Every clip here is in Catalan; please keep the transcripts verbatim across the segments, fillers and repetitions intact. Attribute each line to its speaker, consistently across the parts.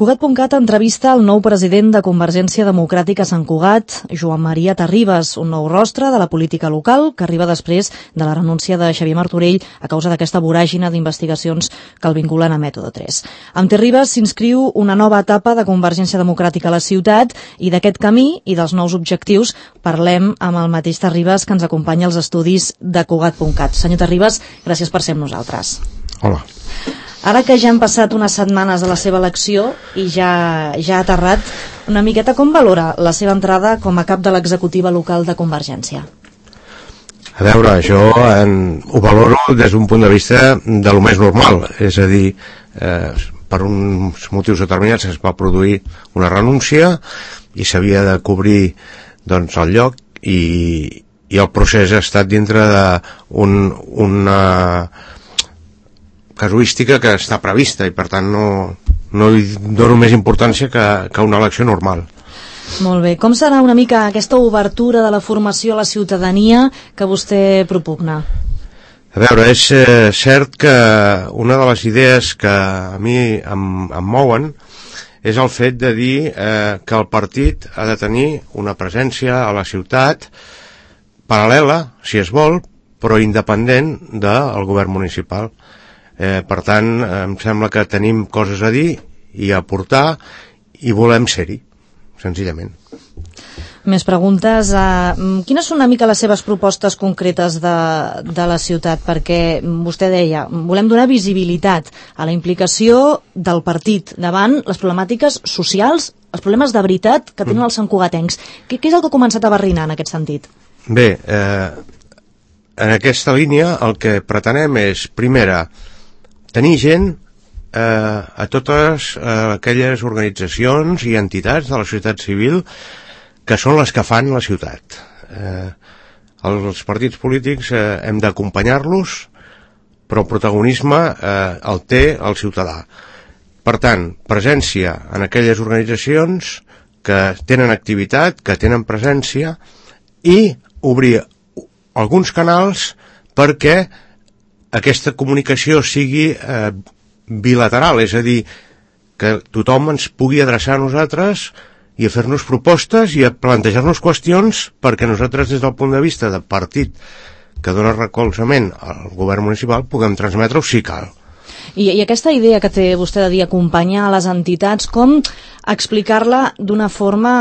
Speaker 1: Cugat.cat entrevista el nou president de Convergència Democràtica a Sant Cugat, Joan Maria Terribas, un nou rostre de la política local que arriba després de la renúncia de Xavier Martorell a causa d'aquesta voràgina d'investigacions que el vinculen a Mètode tres. Amb Terribas s'inscriu una nova etapa de Convergència Democràtica a la ciutat i d'aquest camí i dels nous objectius parlem amb el mateix Terribas que ens acompanya als estudis de Cugat.cat. Senyor Terribas, gràcies per ser amb nosaltres.
Speaker 2: Hola.
Speaker 1: Ara que ja han passat unes setmanes de la seva elecció i ja, ja ha aterrat, una miqueta com valora la seva entrada com a cap de l'executiva local de Convergència?
Speaker 2: A veure, jo en, ho valoro des d'un punt de vista de lo més normal, és a dir, eh, per uns motius determinats es va produir una renúncia i s'havia de cobrir doncs, el lloc i, i el procés ha estat dintre d'un una casuística que està prevista i per tant no, no hi dono més importància que, que una elecció normal.
Speaker 1: Molt bé. Com serà una mica aquesta obertura de la formació a la ciutadania que vostè propugna?
Speaker 2: A veure, és eh, cert que una de les idees que a mi em, em mouen és el fet de dir eh, que el partit ha de tenir una presència a la ciutat paral·lela, si es vol, però independent del govern municipal. Eh, per tant, em sembla que tenim coses a dir i a aportar i volem ser-hi, senzillament.
Speaker 1: Més preguntes. Uh, quines són una mica les seves propostes concretes de, de la ciutat? Perquè vostè deia, volem donar visibilitat a la implicació del partit davant les problemàtiques socials, els problemes de veritat que tenen els santcugatencs. Què, què és el que ha començat a barrinar en aquest sentit?
Speaker 2: Bé, eh, en aquesta línia el que pretenem és, primera, tenir gent eh, a totes eh, aquelles organitzacions i entitats de la societat civil que són les que fan la ciutat. Eh, els partits polítics eh, hem d'acompanyar-los, però el protagonisme eh, el té el ciutadà. Per tant, presència en aquelles organitzacions que tenen activitat, que tenen presència i obrir alguns canals perquè aquesta comunicació sigui eh, bilateral, és a dir, que tothom ens pugui adreçar a nosaltres i a fer-nos propostes i a plantejar-nos qüestions perquè nosaltres, des del punt de vista del partit que dona recolzament al govern municipal, puguem transmetre-ho si cal.
Speaker 1: I, I aquesta idea que té vostè de dir acompanyar a les entitats, com explicar-la d'una forma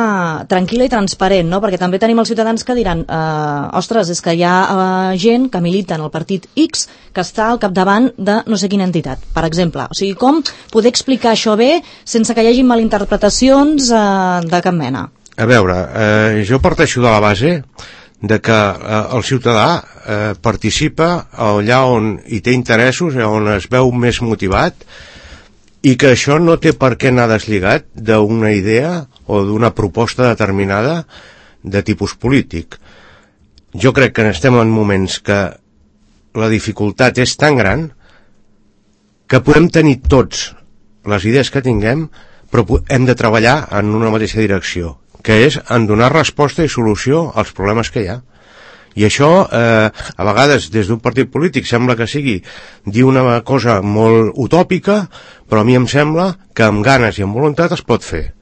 Speaker 1: tranquil·la i transparent, no? Perquè també tenim els ciutadans que diran eh, ostres, és que hi ha eh, gent que milita en el partit X que està al capdavant de no sé quina entitat, per exemple. O sigui, com poder explicar això bé sense que hi hagi malinterpretacions eh, de cap mena?
Speaker 2: A veure, eh, jo parteixo de la base de que eh, el ciutadà eh, participa allà on hi té interessos, on es veu més motivat, i que això no té per què anar deslligat d'una idea o d'una proposta determinada de tipus polític. Jo crec que estem en moments que la dificultat és tan gran que podem tenir tots les idees que tinguem, però hem de treballar en una mateixa direcció, que és en donar resposta i solució als problemes que hi ha. I això, eh, a vegades, des d'un partit polític sembla que sigui dir una cosa molt utòpica, però a mi em sembla que amb ganes i amb voluntat es pot fer.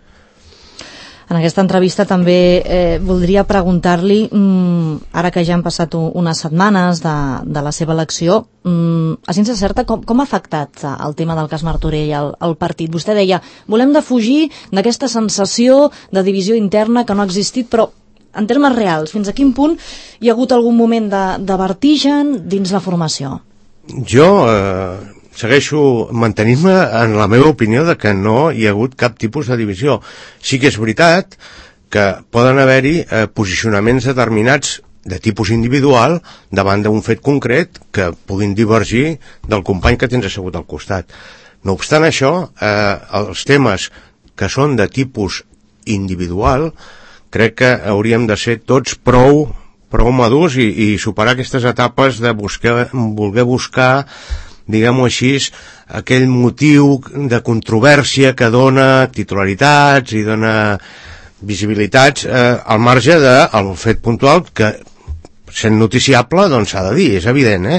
Speaker 1: En aquesta entrevista també eh, voldria preguntar-li, mm, ara que ja han passat unes setmanes de, de la seva elecció, mm, a ciència certa, com, com ha afectat el tema del cas Martorell al, al partit? Vostè deia, volem defugir d'aquesta sensació de divisió interna que no ha existit, però en termes reals, fins a quin punt hi ha hagut algun moment de, de vertigen dins la formació?
Speaker 2: Jo eh, segueixo mantenint-me en la meva opinió de que no hi ha hagut cap tipus de divisió. Sí que és veritat que poden haver-hi eh, posicionaments determinats de tipus individual davant d'un fet concret que puguin divergir del company que tens assegut al costat. No obstant això, eh, els temes que són de tipus individual crec que hauríem de ser tots prou, prou madurs i, i superar aquestes etapes de buscar, voler buscar, diguem-ho així, aquell motiu de controvèrsia que dona titularitats i dona visibilitats eh, al marge del fet puntual que, sent noticiable, doncs s'ha de dir, és evident, eh?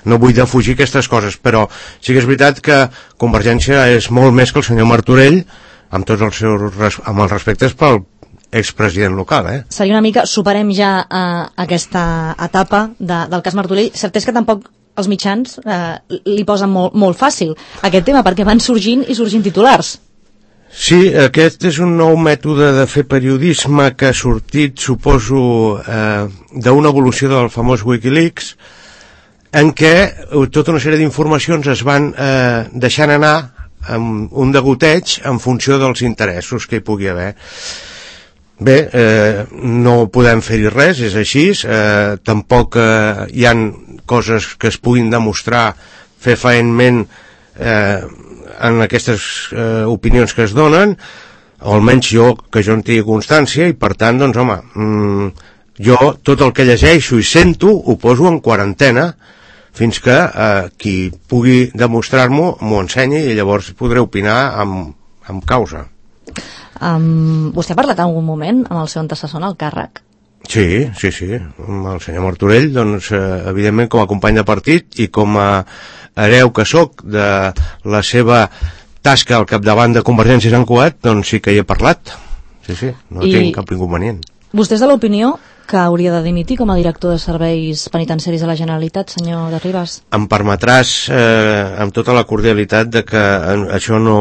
Speaker 2: No vull defugir aquestes coses, però sí que és veritat que Convergència és molt més que el senyor Martorell amb tots els seus amb els respectes pel expresident local, eh?
Speaker 1: Seria una mica, superem ja eh, aquesta etapa de, del cas Martorell. Cert és que tampoc els mitjans eh, li posen molt, molt fàcil aquest tema, perquè van sorgint i sorgint titulars.
Speaker 2: Sí, aquest és un nou mètode de fer periodisme que ha sortit, suposo, eh, d'una evolució del famós Wikileaks, en què tota una sèrie d'informacions es van eh, deixant anar amb un degoteig en funció dels interessos que hi pugui haver. Bé, eh, no podem fer-hi res, és així, eh, tampoc eh, hi han coses que es puguin demostrar fefaentment eh, en aquestes eh, opinions que es donen, o almenys jo, que jo en tingui constància, i per tant, doncs, home, mmm, jo tot el que llegeixo i sento ho poso en quarantena fins que eh, qui pugui demostrar-m'ho m'ho ensenyi i llavors podré opinar amb, amb causa.
Speaker 1: Um, vostè ha parlat en algun moment amb el seu antecessor en el càrrec?
Speaker 2: Sí, sí, sí, amb el senyor Martorell, doncs, eh, evidentment com a company de partit i com a hereu que sóc de la seva tasca al capdavant de Convergència i Sant Cugat, doncs sí que hi he parlat. Sí, sí, no I tinc cap inconvenient.
Speaker 1: Vostè és de l'opinió que hauria de dimitir com a director de serveis penitenciaris de la Generalitat, senyor de Ribas?
Speaker 2: Em permetràs, eh, amb tota la cordialitat, de que això no,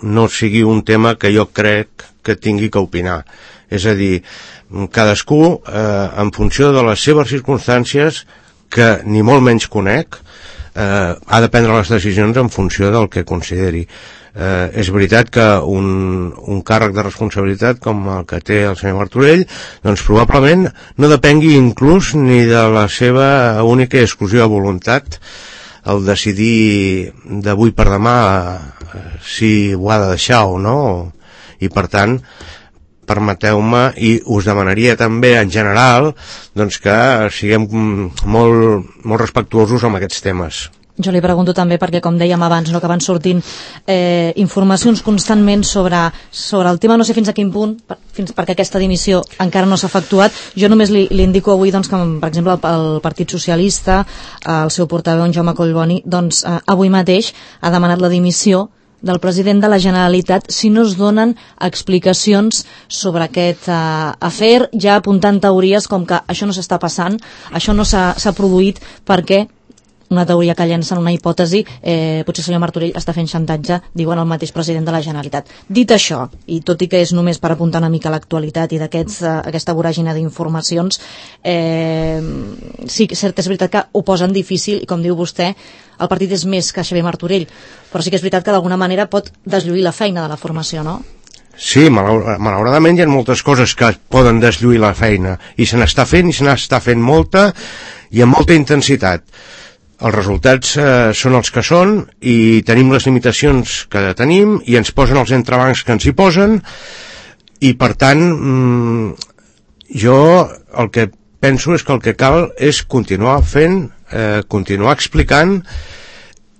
Speaker 2: no sigui un tema que jo crec que tingui que opinar. És a dir, cadascú, eh, en funció de les seves circumstàncies, que ni molt menys conec, eh, ha de prendre les decisions en funció del que consideri. Eh, és veritat que un, un càrrec de responsabilitat com el que té el senyor Martorell, doncs probablement no depengui inclús ni de la seva única i exclusiva voluntat el decidir d'avui per demà eh, si ho ha de deixar o no, i per tant permeteu-me, i us demanaria també en general, doncs que siguem molt, molt respectuosos amb aquests temes.
Speaker 1: Jo li pregunto també perquè, com dèiem abans, no, que van sortint eh, informacions constantment sobre, sobre el tema, no sé fins a quin punt, per, fins perquè aquesta dimissió encara no s'ha efectuat. Jo només li, li indico avui, doncs, que, per exemple, el, el Partit Socialista, el seu portaveu, en Jaume Collboni, doncs, eh, avui mateix ha demanat la dimissió del president de la Generalitat si no es donen explicacions sobre aquest eh, afer, ja apuntant teories com que això no s'està passant, això no s'ha produït perquè una teoria que llencen, una hipòtesi, eh, potser el senyor Martorell està fent xantatge, diuen el mateix president de la Generalitat. Dit això, i tot i que és només per apuntar una mica l'actualitat i d'aquesta voràgina d'informacions, eh, sí, cert, és veritat que ho posen difícil, i com diu vostè, el partit és més que Xavier Martorell, però sí que és veritat que d'alguna manera pot deslluir la feina de la formació, no?
Speaker 2: Sí, malauradament hi ha moltes coses que poden deslluir la feina, i se n'està fent, i se n'està fent molta, i amb molta intensitat. Els resultats eh, són els que són, i tenim les limitacions que tenim, i ens posen els entrebancs que ens hi posen, i per tant mmm, jo el que penso és que el que cal és continuar fent, eh, continuar explicant,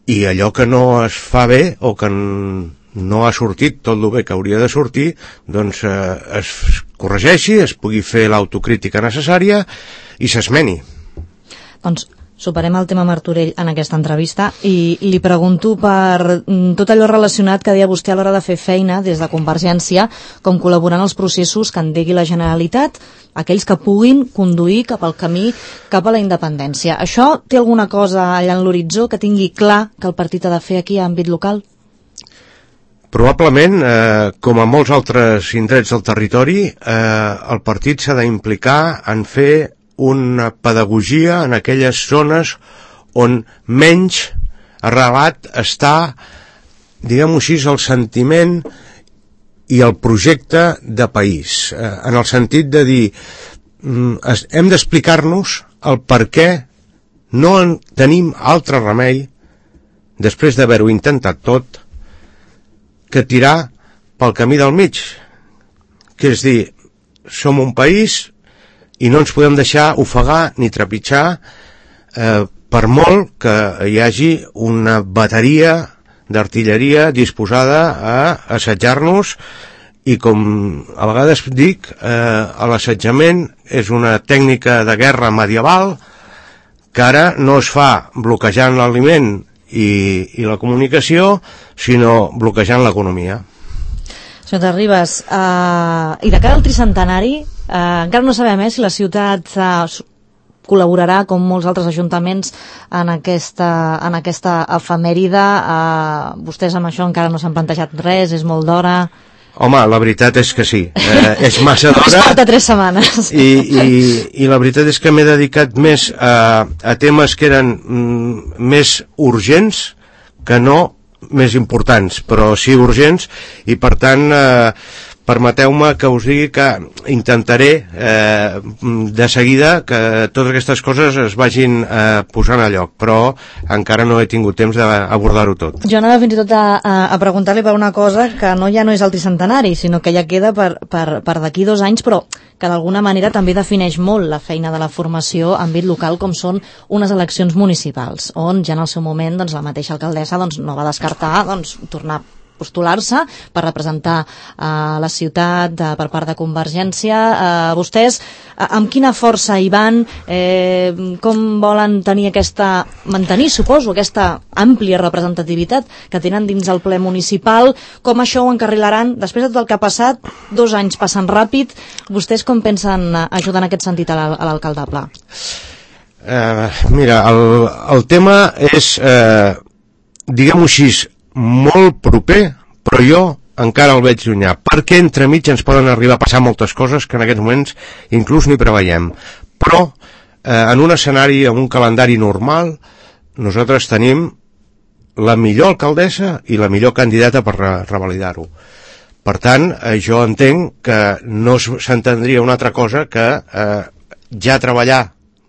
Speaker 2: i allò que no es fa bé o que no ha sortit tot el bé que hauria de sortir, doncs eh, es corregeixi, es pugui fer l'autocrítica necessària i s'esmeni.
Speaker 1: Doncs superem el tema Martorell en aquesta entrevista i li pregunto per tot allò relacionat que deia vostè a l'hora de fer feina des de Convergència, com col·laborar en els processos que endegui la Generalitat, aquells que puguin conduir cap al camí, cap a la independència. Això té alguna cosa allà en l'horitzó que tingui clar que el partit ha de fer aquí a àmbit local?
Speaker 2: Probablement, eh, com a molts altres indrets del territori, eh, el partit s'ha d'implicar en fer una pedagogia en aquelles zones on menys arrelat està, diguem-ho així, el sentiment i el projecte de país, eh, en el sentit de dir mm, hem d'explicar-nos el per què no en tenim altre remei, després d'haver-ho intentat tot, que tirar pel camí del mig, que és dir, som un país i no ens podem deixar ofegar ni trepitjar eh, per molt que hi hagi una bateria d'artilleria disposada a assetjar-nos, i com a vegades dic, eh, l'assetjament és una tècnica de guerra medieval que ara no es fa bloquejant l'aliment i, i la comunicació, sinó bloquejant l'economia.
Speaker 1: Senyor Terribas, uh, i de cara al tricentenari, uh, encara no sabem eh, si la ciutat uh, col·laborarà, com molts altres ajuntaments, en aquesta, en aquesta efemèride. Uh, vostès amb això encara no s'han plantejat res, és molt d'hora...
Speaker 2: Home, la veritat és que sí, eh, és massa d'hora.
Speaker 1: Es porta tres setmanes.
Speaker 2: I, i, i la veritat és que m'he dedicat més a, a temes que eren mm, més urgents que no més importants, però sí urgents, i per tant eh, permeteu-me que us digui que intentaré eh, de seguida que totes aquestes coses es vagin eh, posant a lloc, però encara no he tingut temps d'abordar-ho tot.
Speaker 1: Jo anava fins i tot a, a, a preguntar-li per una cosa que no ja no és el tricentenari, sinó que ja queda per, per, per d'aquí dos anys, però que d'alguna manera també defineix molt la feina de la formació en àmbit local, com són unes eleccions municipals, on ja en el seu moment doncs, la mateixa alcaldessa doncs, no va descartar doncs, tornar a postular-se per representar eh, la ciutat de, per part de Convergència. Eh, vostès eh, amb quina força hi van? Eh, com volen tenir aquesta, mantenir, suposo, aquesta àmplia representativitat que tenen dins el ple municipal? Com això ho encarrilaran? Després de tot el que ha passat, dos anys passen ràpid, vostès com pensen ajudar en aquest sentit a l'alcalde Pla?
Speaker 2: Eh, mira, el, el tema és, eh, diguem-ho així, molt proper, però jo encara el veig llunyà, perquè entremig ens poden arribar a passar moltes coses que en aquests moments inclús ni preveiem. Però eh, en un escenari, en un calendari normal, nosaltres tenim la millor alcaldessa i la millor candidata per re revalidar-ho. Per tant, eh, jo entenc que no s'entendria una altra cosa que eh, ja treballar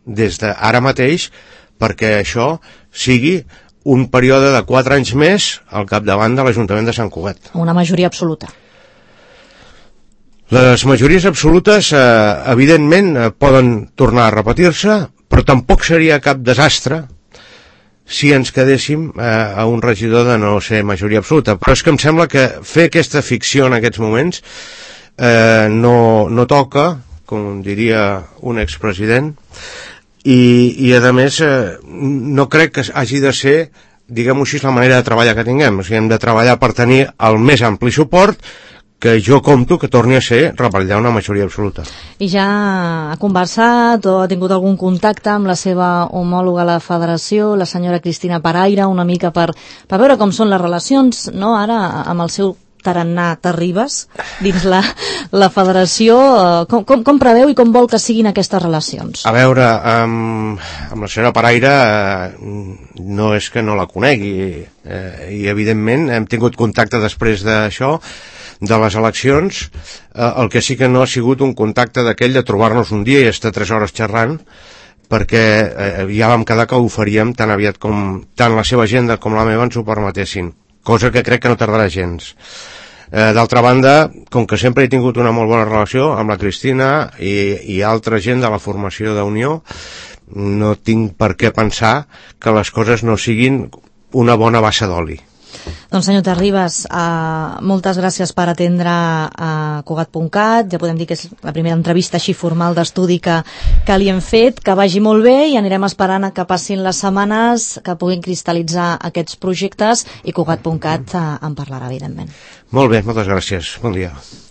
Speaker 2: des d'ara mateix perquè això sigui un període de quatre anys més al capdavant de l'Ajuntament de Sant Cugat.
Speaker 1: Una majoria absoluta.
Speaker 2: Les majories absolutes, eh, evidentment, eh, poden tornar a repetir-se, però tampoc seria cap desastre si ens quedéssim eh, a un regidor de no ser majoria absoluta. Però és que em sembla que fer aquesta ficció en aquests moments eh, no, no toca, com diria un expresident, I, i a més eh, no crec que hagi de ser, diguem-ho així, la manera de treballar que tinguem. O sigui, hem de treballar per tenir el més ampli suport que jo compto que torni a ser revalidar una majoria absoluta.
Speaker 1: I ja ha conversat o ha tingut algun contacte amb la seva homòloga a la federació, la senyora Cristina Paraire, una mica per, per veure com són les relacions, no?, ara amb el seu tarannà Terribas dins la, la federació. Com, com, com preveu i com vol que siguin aquestes relacions?
Speaker 2: A veure, amb, amb la senyora Paraire eh, no és que no la conegui, eh, i evidentment hem tingut contacte després d'això, de les eleccions. Eh, el que sí que no ha sigut un contacte d'aquell de trobar-nos un dia i estar tres hores xerrant, perquè eh, ja vam quedar que ho faríem tan aviat com tant la seva agenda com la meva ens ho permetessin, cosa que crec que no tardarà gens. Eh, D'altra banda, com que sempre he tingut una molt bona relació amb la Cristina i, i altra gent de la formació d'Unió, no tinc per què pensar que les coses no siguin una bona bassa d'oli.
Speaker 1: Doncs senyor Terribas, uh, moltes gràcies per atendre a Cugat punt cat. Ja podem dir que és la primera entrevista així formal d'estudi que, que li hem fet, que vagi molt bé i anirem esperant a que passin les setmanes, que puguin cristal·litzar aquests projectes i Cugat punt cat uh, en parlarà, evidentment.
Speaker 2: Molt bé, moltes gràcies. Bon dia.